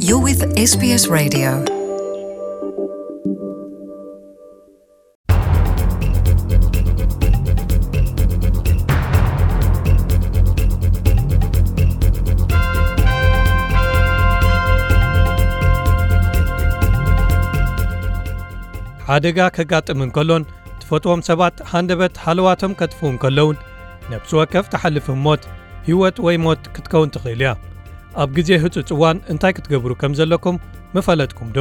You're with S B S Radio. ሓደጋ ከጋጥም እንከሎን ትፈትዎም ሰባት ሃንደበት ሃለዋቶም ከጥፍኡ እንከለውን ነብሲ ወከፍ ትሓልፍ ሞት ህይወት ወይ ሞት ክትከውን ትኽእል እያ። ኣብ ግዜ ህጹጽ እዋን እንታይ ክትገብሩ ከም ዘለኩም ምፈለጥኩም ዶ?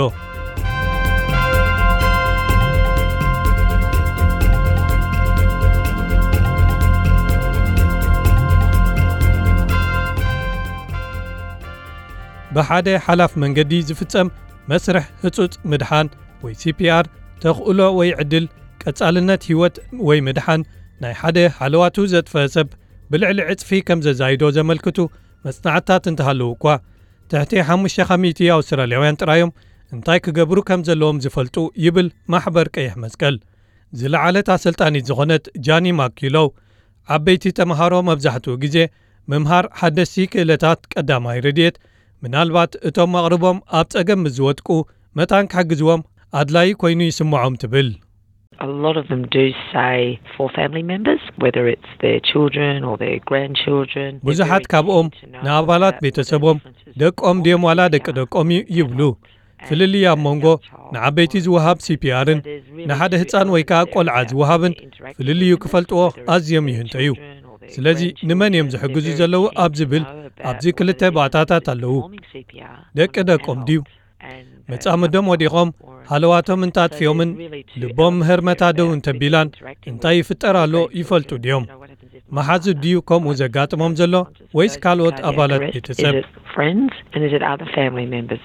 ብሓደ ሓላፍ መንገዲ ዝፍጸም መስርሕ ህጹጽ ምድሓን ወይ C P R ተኽእሎ ወይ ዕድል ቀጻልነት ህይወት ወይ ምድሓን ናይ ሓደ ሃለዋቱ ዘጥፈ ሰብ ብልዕሊ ዕጽፊ ከም ዘዛይዶ ዘመልክቱ መጽናዕትታት እንተሃለዉ እኳ፣ ትሕቲ ሓሙሽተ ካብ ሚእቲ ኣውስትራልያውያን ጥራዮም እንታይ ክገብሩ ከም ዘለዎም ዝፈልጡ ይብል ማሕበር ቀይሕ መስቀል። ዝለዓለት ኣሰልጣኒት ዝኾነት ጃኒ ማኪሎው፣ ዓበይቲ ተምሃሮ መብዛሕትኡ ግዜ ምምሃር ሓደስቲ ክእለታት ቀዳማይ ረድኤት፣ ምናልባት እቶም ኣቕርቦም ኣብ ጸገም ምስ ዝወድቁ መታን ክሕግዝዎም ኣድላዪ ኮይኑ ይስምዖም ትብል። A lot of them do say for family members, whether it's their children or their grandchildren, they're ብዙሓት very ካብኦም keen to know ንኣባላት about ቤተሰቦም፣ what the differences ደቆም ድዮም ዋላ ደቂ ደቆም እዩ ይብሉ። ፍልልይ ኣብ መንጎ ንዓበይቲ ዝወሃብ C P R ን ንሓደ ህጻን ወይ ከኣ ቆልዓ ዝወሃብን ፍልልዩ ክፈልጥዎ ኣዝዮም ይህንጠዩ። ስለዚ ንመን እዮም ዝሕግዙ ዘለዉ ኣብ ዝብል ኣብዚ ክልተ ባእታታት ኣለዉ። ደቂ ደቆም ድዩ? መጻምዶም ወዲቖም ሃለዋቶም እንታጥፊኦምን ልቦም ምህርመታ ደው እንተቢላን እንታይ ይፍጠር ኣሎ ይፈልጡ ድዮም? መሓዙት ድዩ ከምኡ ዘጋጥሞም ዘሎ ወይስ ካልኦት ኣባላት ቤተሰብ? Is it friends and is it other family members?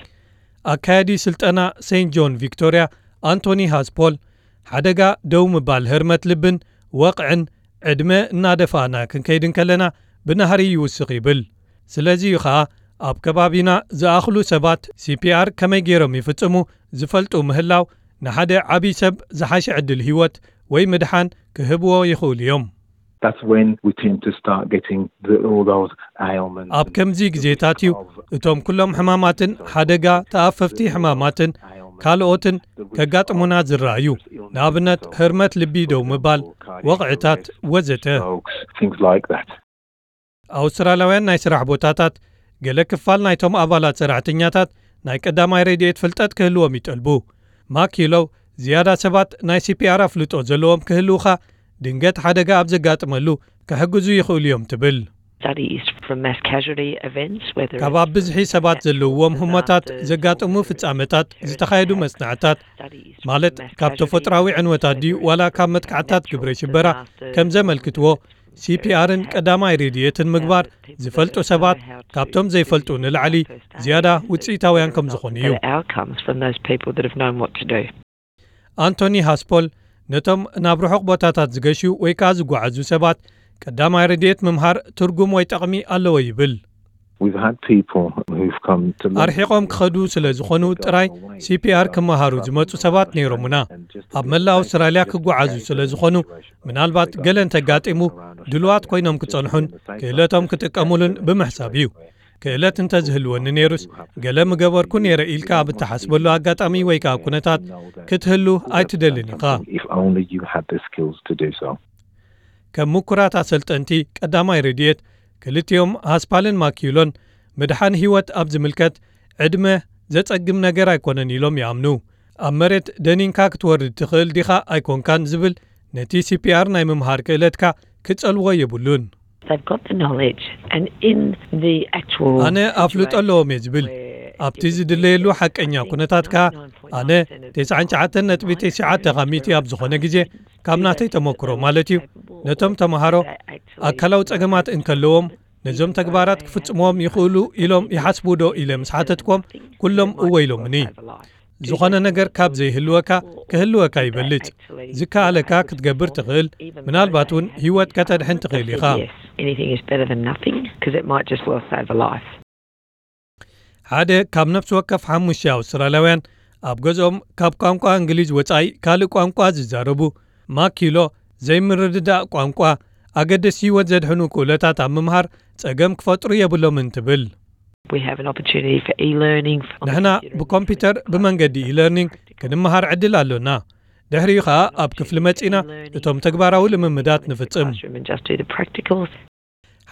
ኣካያዲ ስልጠና ሴንት ጆን ቪክቶርያ ኣንቶኒ ሃስፖል፣ ሓደጋ ደው ምባል ህርመት ልብን ወቕዕን ዕድመ እናደፋእና ክንከይድ እንከለና ብናህሪ ይውስኽ ይብል። ስለዚ እዩ ኸኣ ኣብ ከባቢና ዝኣኽሉ ሰባት C P R ከመይ ገይሮም ይፍጽሙ ዝፈልጡ ምህላው ንሓደ ዓብዪ ሰብ ዝሓሸ ዕድል ህይወት ወይ ምድሓን ክህብዎ ይኽእሉ እዮም። That's when we tend to start getting the, all those ailments ኣብ ከምዚ ግዜታት እዩ እቶም ኩሎም ሕማማትን ሓደጋ ተኣፈፍቲ ሕማማትን ካልኦትን ከጋጥሙና ዝረኣዩ። ንኣብነት ህርመት ልቢ ደው ምባል፣ ወቕዕታት ወዘተ። Strokes, things like that. ኣውስትራልያውያን ናይ ስራሕ ቦታታት ገለ ክፋል ናይቶም ኣባላት ሰራሕተኛታት ናይ ቀዳማይ ረድኤት ፍልጠት ክህልዎም ይጠልቡ። ማኪሎው ዝያዳ ሰባት ናይ C P R ኣፍልጦ ዘለዎም ክህልውኻ ድንገት ሓደጋ ኣብ ዘጋጥመሉ ክሕግዙ ይኽእሉ እዮም ትብል። Studies from mass casualty events, whether ካብ ኣብ ብዝሒ ሰባት ዘለውዎም ህሞታት ዘጋጥሙ ፍጻመታት ዝተኻየዱ መጽናዕታት፣ ማለት ካብ ተፈጥሮኣዊ ዕንወታት ድዩ ዋላ ካብ መጥቃዕታት ግብረ ሽበራ ከም ዘመልክትዎ፣ C P R ን ቀዳማይ ረድኤትን ምግባር ዝፈልጡ ሰባት ካብቶም ዘይፈልጡ ንላዕሊ ዝያዳ ውጽኢታውያን ከም ዝኾኑ እዩ። Better outcomes from those people that have known what to do. ኣንቶኒ ሃስፖል ነቶም ናብ ርሑቕ ቦታታት ዝገሹ ወይ ከኣ ዝጓዓዙ ሰባት ቀዳማይ ረድኤት ምምሃር ትርጉም ወይ ጠቕሚ ኣለዎ ይብል። We've had people who've come to London ኣርሒቖም ክኸዱ ስለ ዝኾኑ ጥራይ C P R ክመሃሩ ዝመጹ ሰባት ነይሮምና። ኣብ መላእ ኣውስትራልያ ክጓዓዙ ስለ ዝኾኑ ምናልባት ገለ እንተጋጢሙ ድልዋት ኮይኖም ክጸንሑን ክእለቶም ክጥቀሙሉን ብምሕሳብ እዩ። ክእለት እንተዝህልወኒ ነይሩስ ገለ ምገበርኩ ነይረ ኢልካ ኣብ እትሓስበሉ ኣጋጣሚ ወይ ከኣ ኩነታት ክትህሉ ኣይትደልን ኢኻ። If only you had the skills to do so. ከም ምኩራት ኣሰልጠንቲ ቀዳማይ ረድኤት ክልቲኦም ሃስፓልን ማኪዩሎን ምድሓን ህይወት ኣብ ዝምልከት ዕድመ ዘጸግም ነገር ኣይኮነን ኢሎም ይኣምኑ። ኣብ መሬት ደኒንካ ክትወርድ ትኽእል ዲኻ ኣይኮንካን ዝብል ነቲ C P R ናይ ምምሃር ክእለትካ ክጸልዎ የብሉን። They've got the knowledge and in the actual ኣነ ኣፍልጦ ኣለዎም እየ ዝብል። ኣብቲ ዝድለየሉ ሓቀኛ ኩነታት ከኣ ኣነ ተስዓን ትሽዓተን ነጥቢ ትሽዓተ ካብ ሚእቲ ኣብ ዝኾነ ግዜ ካብ ናተይ ተመክሮ ማለት እዩ ነቶም ተምሃሮ ኣካላዊ ጸገማት እንከለዎም ነዞም ተግባራት ክፍጽምዎም ይኽእሉ ኢሎም ይሓስቡ ዶ ኢለ ምስ ሓተትኩም ኩሎም እወ ኢሎምኒ። ዝኾነ ነገር ካብ ዘይህልወካ ክህልወካ ይበልጽ። ዝከኣለካ ክትገብር ትኽእል፣ ምናልባት እውን ህይወት ከተድሕን ትኽእል ኢኻ። Yes, anything is better than nothing because it might just well save a life. ሓደ ካብ ነፍሲ ወከፍ ሓሙሽተ ኣውስትራልያውያን ኣብ ገዝኦም ካብ ቋንቋ እንግሊዝ ወጻኢ ካልእ ቋንቋ ዝዛረቡ ማኪሎ ዘይምርድዳእ ቋንቋ ኣገደስቲ ህይወት ዘድሕኑ ክእለታት ኣብ ምምሃር ጸገም ክፈጥሩ የብሎምን ትብል። We have an opportunity for e-learning. ንሕና ብኮምፒውተር ብመንገዲ e-learning ክንመሃር ዕድል ኣሎና። ድሕሪኡ ኸኣ ኣብ ክፍሊ መጺና እቶም ተግባራዊ ልምምዳት ንፍጽም። Classroom and just do the practicals.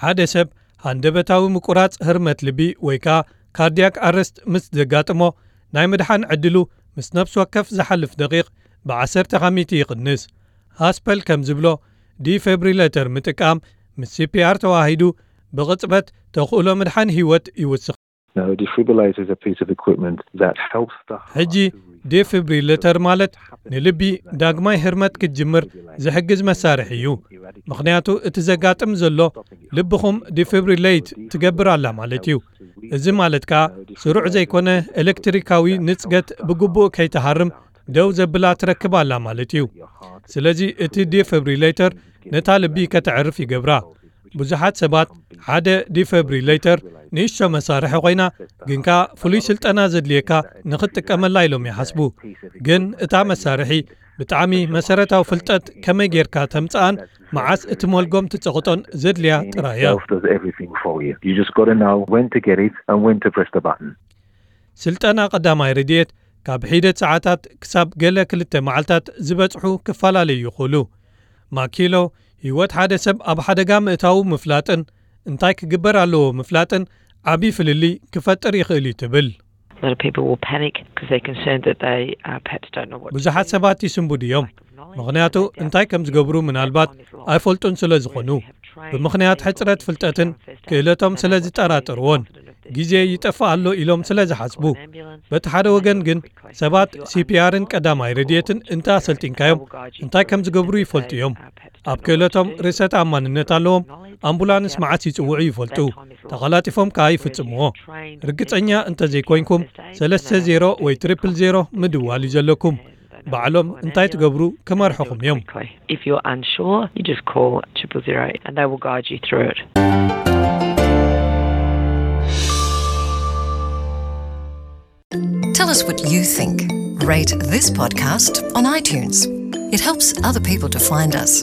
ሓደ ሰብ ሃንደበታዊ ምቁራጽ ህርመት ልቢ ወይ ከኣ ካርዲያክ ኣረስት ምስ ዘጋጥሞ ናይ ምድሓን ዕድሉ ምስ ነፍሲ ወከፍ ዝሓልፍ ደቂቕ ብዓሰርተ ካሚቲ ይቕንስ። ሃስፐል ከም ዝብሎ ዲፌብሪሌተር ምጥቃም ምስ ሲፒኣር ተዋሂዱ ብቕጽበት ተኽእሎ ምድሓን ህይወት ይውስኽ። Now, a defibrillator is a piece of equipment that helps the heart ሕጂ ዲፊብሪሌተር ማለት ንልቢ ዳግማይ ህርመት ክትጅምር ዝሕግዝ መሳርሒ እዩ። ምኽንያቱ እቲ ዘጋጥም ዘሎ ልብኹም ዲፊብሪሌት ትገብር ኣላ ማለት እዩ። እዚ ማለት ከኣ ስሩዕ ዘይኮነ ኤሌክትሪካዊ ንጽገት ብግቡእ ከይትሃርም ደው ዘብላ ትረክብ ኣላ ማለት እዩ። ስለዚ እቲ ዲፊብሪሌተር ነታ ልቢ ከተዕርፍ ይገብራ። ብዙሓት ሰባት ሓደ ዲፊብሪሌተር ንእሽቶ መሳርሒ ኮይና ግን ከኣ ፍሉይ ስልጠና ዘድልየካ ንኽትጥቀመላ ኢሎም ይሓስቡ። ግን እታ መሳርሒ ብጣዕሚ መሰረታዊ ፍልጠት ከመይ ጌርካ ተምጽኣን መዓስ እቲ መልጎም ትጸቕጦን ዘድልያ ጥራይ እያ። Self does everything for you. You just got to know when to get it and when to press the button. ስልጠና ቀዳማይ ረድኤት ካብ ሒደት ሰዓታት ክሳብ ገለ ክልተ መዓልታት ዝበጽሑ ክፈላለዩ ይኽእሉ። ማኪሎ ህይወት ሓደ ሰብ ኣብ ሓደጋ ምእታዉ ምፍላጥን እንታይ ክግበር ኣለዎ ምፍላጥን ዓቢ ፍልልይ ክፈጥር ይኽእል እዩ ትብል። A lot of people will panic because they're concerned that they uh, perhaps don't know what to ብዙሓት do. ሰባት ይስንቡዱ እዮም፣ ምኽንያቱ እንታይ ከም ዝገብሩ ምናልባት ኣይፈልጡን ስለ ዝኾኑ። ብምኽንያት ሕጽረት ፍልጠትን ክእለቶም ስለ ዝጠራጠርዎን ግዜ ይጠፍእ ኣሎ ኢሎም ስለ ዝሓስቡ። በቲ ሓደ ወገን ግን ሰባት ሲፒኣርን ቀዳማይ ረድኤትን እንተ ኣሰልጢንካዮም እንታይ ከም ዝገብሩ ይፈልጡ እዮም። ኣብ ክእለቶም ርእሰ ተኣማንነት ኣለዎም። ኣምቡላንስ መዓስ ይጽውዑ ይፈልጡ። ተቐላጢፎም ከኣ ይፍጽምዎ። ርግጸኛ እንተ ዘይኮይንኩም ሰለስተ ዜሮ ወይ ትሪፕል ዜሮ ምድዋል እዩ ዘለኩም። ባዕሎም እንታይ ትገብሩ ክመርሕኹም እዮም። If you're unsure, you just call triple zero and they will guide you through it. Tell us what you think. Rate this podcast on iTunes. It helps other people to find us.